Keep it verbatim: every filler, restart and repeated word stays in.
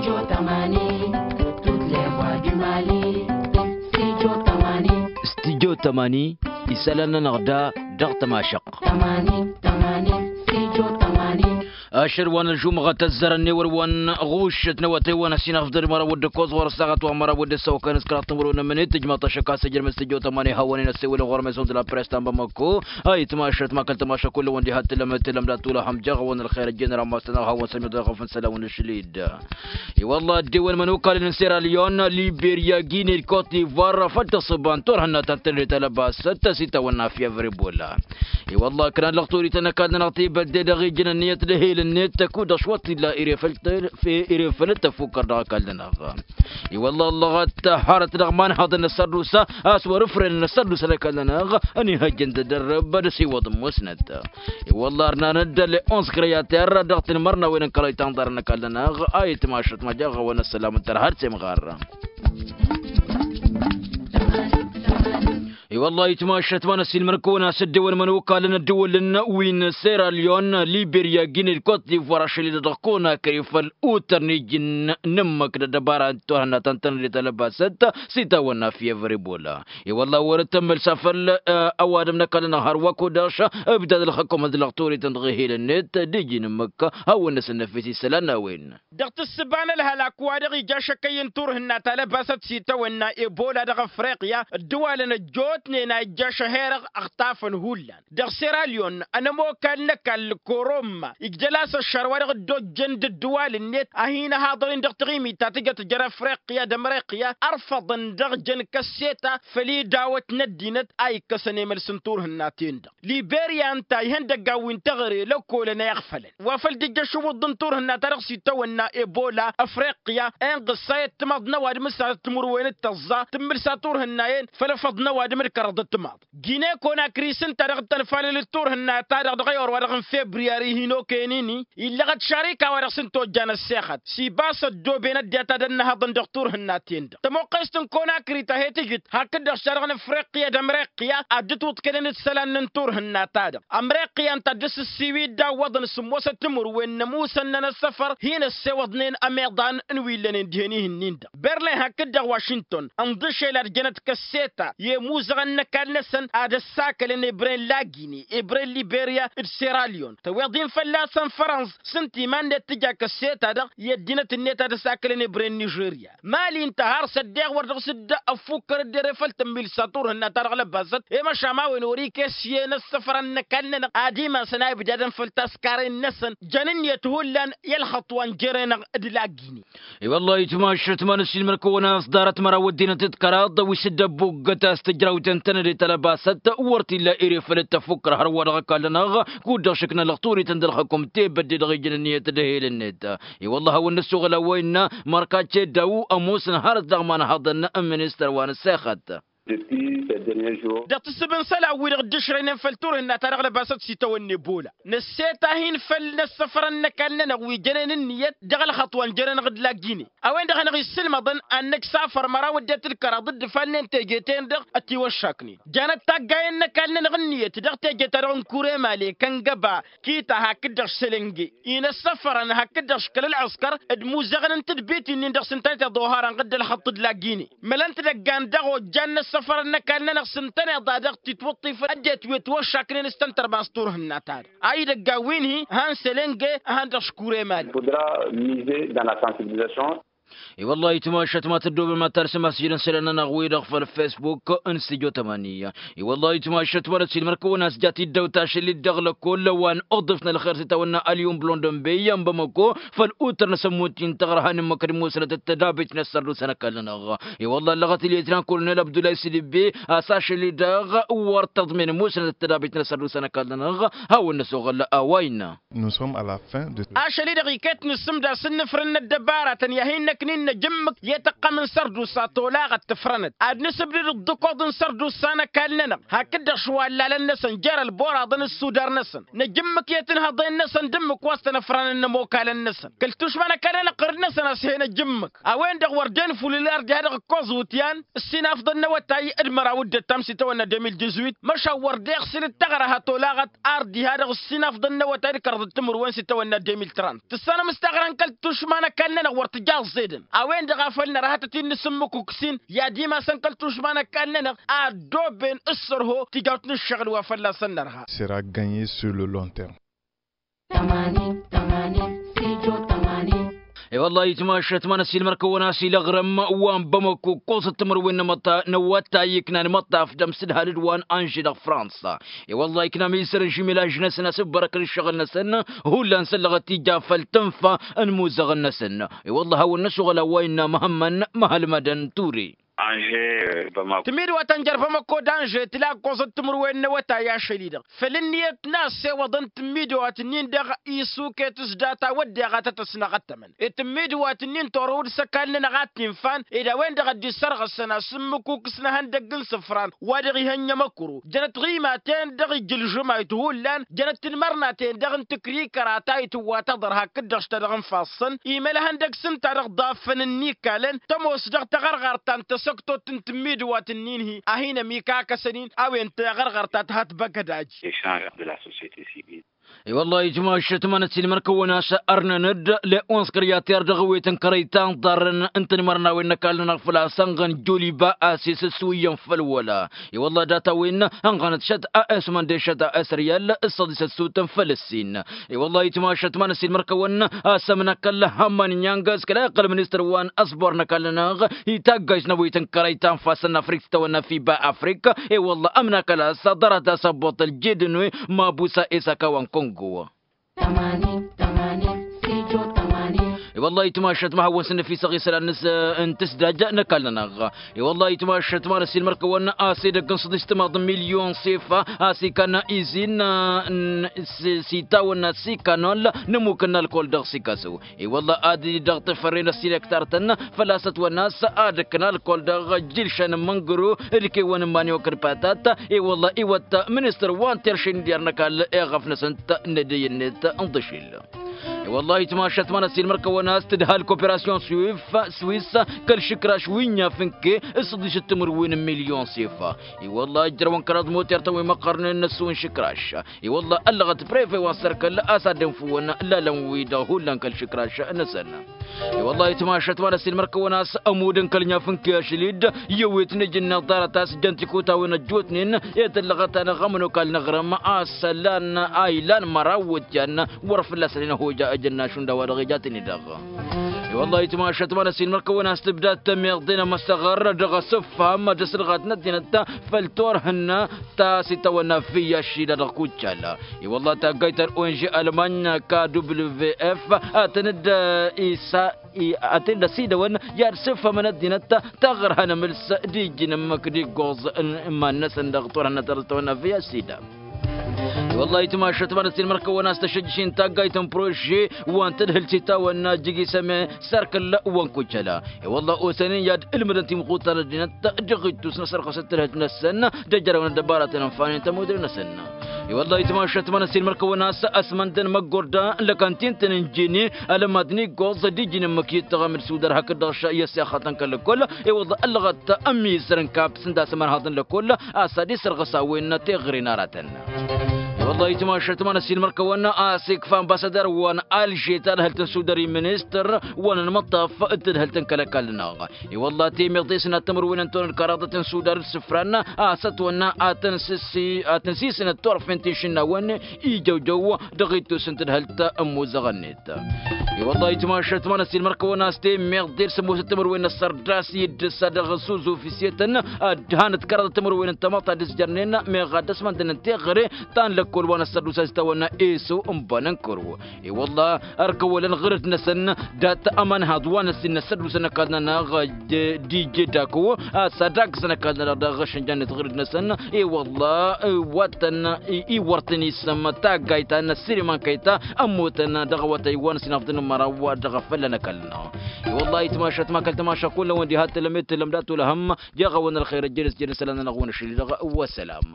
Studio tămani, isălan-nănăɣ da dăɣ-tămašăqq. Ašăl wa n-ălžumɣăt ăzzărăn n-ewăl wa n-ɣuššăt n-awătay wa n-ăsinăɣ făḍăl măraw d-ǝkkoẓ ɣur-ăssaɣăt wa n-măraw d-ăssăwăkăn s-kăraḍ timǝrwen n-ămǝnet tǝjmaḍ-t ašăk a-s ăjrăm studio tămani hawăn-in ăssewălăn ɣur-meson d-la press ta n-bamăko. Ayǝtmašăt ma kăl-tămašăk kull-wăn diha t-tǝlăm tǝlăm d-ad-tulăhăm jaɣ-wăn ălxer ăjjeen rammas-tănăɣ hawăn-sămyăḍ ɣef n-isălan wa n-ašăl-dd. I-wălla ăddewăn imănokalăn n-sera lyon, liberya, gine d-kot divoir făl tăṣṣăba n-turhǝnna ta n-tănăde talăbasăt s-itawănna fievre bola. I-wălla ǝknan lăxturităn ăkall-nănăɣ tebădde dăɣ-ijăn ǝnniyăt d-ehel-net kud-dăɣ šwăt illa irefăl-t-ef irefăl-t ăffukkăr dăɣ-ăkall-nănăɣ. I-wălla ăllăɣăt hărăt dăɣ-iman haḍăn n-ăssărdusa a-s wăr-ǝfrăyăn n-ăssărdusa n-ăkall-nănăɣ ănihăjjăn d-edărrăb d-asiwăḍ n-musnăt. I-wălla ărnan-dd ălleons kreyater dăɣ-tinmărnawen n-kălăyt anḍarăn ăkall-nănăɣ a itmašăt ma jaɣ-awăn ăssălam n-tărha d-semɣar. I-wălla itmašăt ma n-ăssiilmăr-kăwăn a-s ăddewăn imănokalăn ăddǝwălăn wi n-sera lyon, liberya, gine d-kot divoir ašăl-i-dăɣ dăɣ-konakri făll-utăr n-iji n-ǝmmǝk d-ăddăbara n-turhǝnna ta n-tănăde talăbasăt s-itawănna fievre bola. I-wălla wăr-dd tămmălsa făll-ăwadǝm n-ăkall-nănăɣ hărwa kud-dăɣ š-ǝbdad ălxăkkomăn d-lăxturităn dăɣ-ehel-net d-iji n-ǝmmǝk hawăn-năsăn năfes isălan n-a-wen. Dăɣ-tǝssǝba n-ălhălak wa dăɣ-ija ašăkkăyy n-turhǝnna talăbasăt s-itawănna ebola dăɣ-afriqya ǝddǝwalăn ăjjootnen a ijja ašăl-hi-dăɣ ăɣtafăn hullan. Dăɣ-sera lyon ănămokal n-ăkall koromma ijdăl-as ăššar wa dăɣ-dd-ojjăn d-ǝddǝwal-net a hin-ăhaḍăr-in dăɣ-taɣimit ta tǝjăt jer-afriqya d-ămriqya ărfăḍăn dăɣ-jăn kăsseta făll-idawăt n-ăddinăt a ikkăsăn emăls n-turhǝnna-ten-dăɣ. Liberya ǝnta ihăndăggan wi n-teɣăre lăkkolăn a iɣfălăn wa făl dd-ija ašǝwǝḍ n-turhǝnna-ta-dăɣ s-itawănna ebola afriqya. Inɣǝssay ăttămaḍ n-ăwadǝm s-ad-tǝmǝrwen d-tăẓẓa tǝmmǝlsa turhǝnna-en făll-efăḍ n-ăwadǝm d-kăraḍ ăttămaḍ. Gine konakri s-ǝnta-dăɣ d-tănfalăl d-turhǝnna-ta-dăɣ dăɣ-ewăr wa dăɣ-n febriyari hin-okăyăn-ini illăɣăt šarika wa dăɣ-s ǝnta ojjan ăssexăt s-ibas ăddooben ăddinăt ad-ănnăhăḍăn dăɣ-turhǝnna-ten-dăɣ. Tămoqqest n-konakri ta he-tǝjǝt hakd-dăɣ šadăɣ n-afriqya d-ămriqya ad-dd-tiwǝḍkănen isălan n-turhǝnna-ta-dăɣ. Ămriqya ǝnta a dd-sǝssiwǝy dd-awwăḍăn sǝmmosăt timǝrwen n-ămuusăn-nănăɣ s-săfăr hin-ăssewăḍnen ămeḍan n-wi ǝllănen dihen ihǝnnin-dăɣ berlin hakd-dăɣ wašington ǝnḍǝšel ad-jănăt kăsseta i-imuzăɣăn n-ăkall-năsăn ad-ăssakălăn ebre n-lagine ebre n-liberya d-seralyon tăweḍ-in fălla-săn fărănẓ s-ǝnta iman-net tǝja kăsseta-dăɣ i-ăddinăt-net ad-ăsakălăn ebre n-nižerya. Mali ǝnta har s-ăddeɣ wăr dăɣ-s dd-ăffukkăr dd-ere făll-tǝmmilsa turhǝnna-ta-dăɣ lăbasăt i-măšan a-wen wăr-ikes i-inăssăfărăn n-ăkall-nănăɣ ad-imasăn a ibdadăn făll-taskaren-năsăn. Jăn ǝnniyăt hullan i-ălxăṭṭ wa n-jere-năɣ d-lagini. I-wăllah itmašăt ma n-ăssiilmăr-kăwăn a-s ḍarăt măraw ăddinăt d-kăraḍ wi s-dd-ăbbuggăt a-s tǝjrawten tănăde talăbasăt wăr t-illa ere făll-tăfukkăr hărwa dăɣ-ăkall-nănăɣ. Kud-dăɣ šǝknălăɣ turiten d-ălxăkum tebădde dăɣ-ijăn ǝnniyăt d-ehel-net. I-wăllah a-wen nǝssuɣǝl a-wa innă mărkace daw ămoosăn hărăt dăɣ-imanhaḍăn n-ministăr wa n-ăssexăt. Dăɣ-tǝssǝb n-isălan-wi-dăɣ dd-ǝšrăynen făll-turhǝnna-ta-dăɣ lăbasăt s-itawănne bola năsset a hin-făll-inăssăfărăn n-ăkall-nănăɣ wi jănen ǝnniyăt dăɣ-ălxăṭṭ wa n-jănenăɣ d-lagine. A-wen-dăɣ hanăɣ-issǝlmăḍăn ad-năksafăr măraw ăddinăt d-kăraḍ dd-ǝfalnen teje-ten-dăɣ ătiwăššaknen. Janăt taggayen n-ăkall-nănăɣ ǝnniyăt dăɣ-teje-ta-dăɣ n-kuremale kăngăba kita hakd-dăɣ sălenge inăssăfărăn hakd-dăɣ škăl ălɣǝskăr d-imuzăɣăn n-tadbit-in-dăɣ s-ǝntănăt iḍohărăn ɣǝdd ălxăṭṭ d-lagine. Mălăn tidăggan dăɣ-ojjan n-ăssăfărăn n-ăkall-nănăɣ s-ǝntăneḍ a dăɣ-titwǝṭṭifăn ăddinăt wi ătwăššaknen s-tăn-tărma s-turhǝnna-ta-dăɣ a idăggan wi n-hi-han sălenge. Han dăɣ-škuremale. Fădra mize dan la sansibilisation. I-wăllah itmašăt ma tăddoobem ad-talsăm asjăl n-isălan-nănăɣ-wi-dăɣ făll-facebook n-studio tămani. I-wăllah itmašăt ma n-ăssiilmăr-kăwăn a-s jat-dd-ăwt ašăl-i-dd dăɣ-lăkol wa n-uḍǝf n-ălxer s-itawănna ălyum blondănbey n-bamăko făll-utăr n-asămmut-in tăɣrăha n-ǝmmǝk d-musnăt d-tădabit n-ăssărdusa n-ăkall-nănăɣ. I-wăllah ăllăɣăt-i letnan kolonel abdullah s-dibbe a-s ašăl-i-dăɣ wăr tăḍmen musnăt d-tădabit n-ăssărdusa n-ăkall-nănăɣ. Hawăn-năsoɣăl a-wa innă. Ašăl-i-dăɣ iket nǝssǝmda s-ǝnnǝfrǝn n-ăddăbaratăn i-ad-hin-năk ǝknin n-ajǝmmǝk i-tăqqăm n-sărdusa tolaɣăt tǝfrănăt ad-nǝsǝbdǝd ǝḍḍǝkoḍ n-sărdusa n-ăkall-nănăɣ hakd-dăɣ šwallalăn-năsăn jer-ălboraḍăn d-sudar-năsăn. N-ajǝmmǝk i-tǝnhăḍen-năsăn d-ǝmmǝk wa s-tăn-ăfranăn n-ămokal-năsăn kăl-tušma n-ăkall-nănăɣ ɣǝrǝd-năsăn a-s hen ajǝmmǝk a-wen-dăɣ wăr dd-enfulǝl ar diha dăɣ-ǝkkoẓ iwǝtyan. Ǝssin afḍăn n-awătay d-măraw d-ăttam s-itawănna deux mille dix-huit măšan wăr dd-iɣsǝl d-taɣrăha tolaɣăt ar diha dăɣ-ǝssin afḍăn n-awătay d-kăraḍăt timǝrwen s-itawănna deux mille trente tǝssanăm s-taɣrăha n-kăl-tušma n-ăkall-nănăɣ wăr tǝja ăẓẓedăn. A-wen-dăɣ a făl nărha tăt-in-nǝsǝmmǝkuk s-in i-ad-imasăn kăl-tušma n-ăkall-nănăɣ a ăddooben s-sărho tijawt n-ǝššăɣǝl wa fălla-săn nărha. Sera gănye sur le long terme. Tămanin tămanin sijo tămanin. E-wălla-hi tǝmašat ma n-ăsiilmăr-kăwăn a-s ila aɣrǝm wa n-bamăko ǝkkoẓăt timǝrwen n-awătay iknan imăṭṭaf d-amsǝdhal d-wa n-anže dăɣ-fransa. E-wălla-hi ikna amisăr n-žimelaž-năsăn a-s ǝbbărăkăn ǝššăɣǝl-năsăn hullan săllăɣăt tija făll-tǝnfa n-imuzăɣăn-năsăn. E-wălla-hi hawăn-năsoɣăl a-wa innă măhămmăn măhălmădăn ture. Tǝmmidǝwat ta n-jer-bamăko d-anže tǝla ǝkkoẓăt timǝrwen n-awătay ašăl-i-dăɣ făll-ǝnniyăt n-a ăssewăḍăn tǝmmidǝwat-ǝnnin-dăɣ isuket s-data wădden a tăt-ăsnăɣăttămăn. Tǝmmidǝwat-ǝnnin torăwăd s-ăkall-nănăɣ a t-infan ed a-wen-dăɣ a dd-issărɣǝsăn asǝmmǝkuk s-inăhăndăgg n-isǝfran wa dăɣ-ihănnăm ăkru jănăt ɣimaten dăɣ-ijǝlžǝmayt hullan jănăt tinmărnaten dăɣ-n tǝkrikăra ta itǝwwa taḍăr hakd-dăɣ s-ta dăɣ-n fassăn imălhăndăgg s-ǝnta dăɣ-dd afăn n-ikalăn tămoos dăɣ-taɣărɣart ta n-tasăktot n-tǝmmidǝwat-ǝnnin-hi a hin-ămikakăsăn-in a-wen taɣărɣart ta tǝha tibăgădaj. I-wălla-hi tǝmašat ma n-ăsiilmăr-kăwăn a-s ărnăn-dd le'uns kăryat i-ar dăɣ-ewet n-kărăy ta n-iḍarrăn n-tinmărnawen n-ăkall-nănăɣ făl-a-s ănɣăn joliba a-s isǝswǝyyăn făll-wăla. I-wălla-hi data-wen ănɣănăt šăt a-s mănde šăt a-s ăryal s-săḍisăt sutăn făll-ǝssin. I-wălla-hi tǝmašat ma n-ăsiilmăr-kăwăn a-s ămnăkăl hămmăn inyang s-kăla iqqăl ministăr wa n-ăsbor n-ăkall-nănăɣ i-taggajt n-ewet n-kărăy ta n-ifassăn n-afrik s-titawănna fiba afrik. I-wălla-hi ămnăkăl a-s ḍarăt a-s ăbboṭ ăljedăn wi mabusa isaka wa n-kongo. I-wălla-hi tǝmašat ma hawăn-sǝnnăf isăɣ isălan n-tǝsdaj n-ăkall-nănăɣ. I-wălla-hi tǝmašat ma n-ăsiilmăr-kăwăn a-s edăgg n-săḍis timaḍ n-milyon s-efa a-s ikanna izin s-itawănna s-ikanol n-ămmuk n-alkol dăɣ-sikasu. I-wălla-hi ad-dăɣ-tefărren ăssiilăktar-tăn făl-a-s ătwănna a-s ad-ǝkk n-alkol dăɣ-ǝjjǝlšăn n-măngăru d-kewăn n-mani okăd patat. I-wălla-hi iwăt ministăr wa n-terše n-idyar n-ăkall eɣăf-năsăn t-nădăy-net n-dăšil. I-wălla-hi tǝmašat ma n-ăssiilmăr-kăwăn a-s tǝdhal koperasyon swif swis kăl-išǝkraš wi n-inyaf n-ke s-săḍis d-timǝrwen n-milyon s-efa. I-wălla-hi ǝjrăwăn kăraḍ moter-tăn wi măqqărnen n-ăssu n-išǝkraš. I-wălla-hi ăllăɣăt prefe wa n-sărkăl a-s ad-dd-infǝwăn lalăn-wi-dăɣ hullan kăl-išǝkraš-năsăn. I-wălla-hi tǝmašat ma n-ăssiilmăr-kăwăn a-s ămudd n-kăl-inyaf n-ke ašăl-dd i-ewet n-ejǝnneḍ ḍarăt a-s jăn tikutawin ăjjootnen i-tǝllăɣăt-anăɣ ămănokal n-aɣrǝm a-s ălan a ilan măraw iwǝtyan wăr fălla-săn inăhoja ejănna šund a-wa dăɣ-ija tăn-i-dăɣ. I-wălla-hi tǝmašat ma n-ăssiilmăr-kăwăn a-s tǝbda tămiḍe n-amăsăɣăr dăɣ-asǝfham d-asǝlɣat n-ăddinăt făll-turhǝnna ta s-itawănna fiyya šila dăɣ-kuccal. I-wălla-hi taggayt ta d-ong almany k w f a tăn-dd-isa ad-t-dd-ăsidăwăn i-ad-sǝfhămăn ăddinăt taɣărha n-amǝls d-ijjǝn ǝmmǝk d-iggoẓ n-iman-năsăn dăɣ-turhǝnna ta s-itawănna fiyya šila. I-wălla-hi tǝmašat ma n-ăssiilmăr-kăwăn a-s tăšăjjăš-in taggayt n-prože wa n-tadhǝlt s-itawănna jigi săme s-ark ǝlla wa n-kucăla. I-wălla-hi osăn-in i-ad-ǝlmǝdăn timɣutar n-ăddinăt dăɣ-ittus n-asărɣăs d-tadhǝlt-năsăn săn d-ejărăwăn ăddăbaratăn ănfanen tămudre-năsăn. I-wălla-hi tǝmašat ma n-ăssiilmăr-kăwăn a-s ăsmăndăn măggorda n-lăkantin-tăn n-jene alămad n-iggoẓ d-ijǝn ǝmmǝk i-ǝttăɣăm d-sudar hakd-dăɣ i-ăssiixătăn kăl-lăkkol. I-wălla-hi ăllăɣăt ămizăr n-kap s-ǝnda a-s ămărhaḍăn lăkkol a-s ad-isărɣǝs a-wen teɣăre n-aratăn. I-wălla-hi tǝmašat ma n-ăssiilmăr-kăwăn a-s ikfa ambasadăr wa n-alže tadhǝlt n-sudar i-ministăr wa n-ănmăṭṭaf d-tadhǝlt n-kăl-ăkall-năɣ. I-wălla-hi temiḍe s-inat timǝrwen n-tonăl kăraḍăt n-sudar d-isǝfran a-s ătwănna ad-tăn-sisǝnăt turfen tišǝnnawăn ijăwjăw dăɣ-ittus n-tadhǝlt n-imuzăɣ-net. I-wălla-hi tǝmašat ma n-ăssiilmăr-kăwăn a-s temiḍe d-sămoosăt timǝrwen n-ăssărdas i-dd-ǝssa dăɣ-s uzuf s-etăn ad-dd-hanăt kăraḍăt timǝrwen n-tamăḍt ad-dd-ǝzjărnen meɣ ad-dd-ăsmăndăn n-teɣăre ta n-lăkkol. wa n-ăssădus a-s tawănna eso n-banănkăro. I-wălla ărkăwălăn ɣǝrǝd-năsăn dat-ămanhăḍ wa n-ăssin n-ăssădus n-ăkall-nănăɣ. D-ije daku a-s ad-agǝsăn ăkall-nănăɣ dăɣ-ašănjan-net ɣǝrǝd-năsăn. I-wălla wa tăn-iwărtăn isăm taggayt ta n-ăssirim ănkăy ta ămmutăn dăɣ-awătay wa n-ăssin afḍăn n-măraw dăɣ-afălla n-ăkall-nănăɣ. I-wălla itmašat ma kăl-tamaša kull-awăn diha tǝlăm i-tǝlăm dat-olăhăm. Jaɣ-awăn ălxer ăjjădăs jădăs ăla-nănăɣ-wăn ašăl-i-dăɣ. Wăssălam.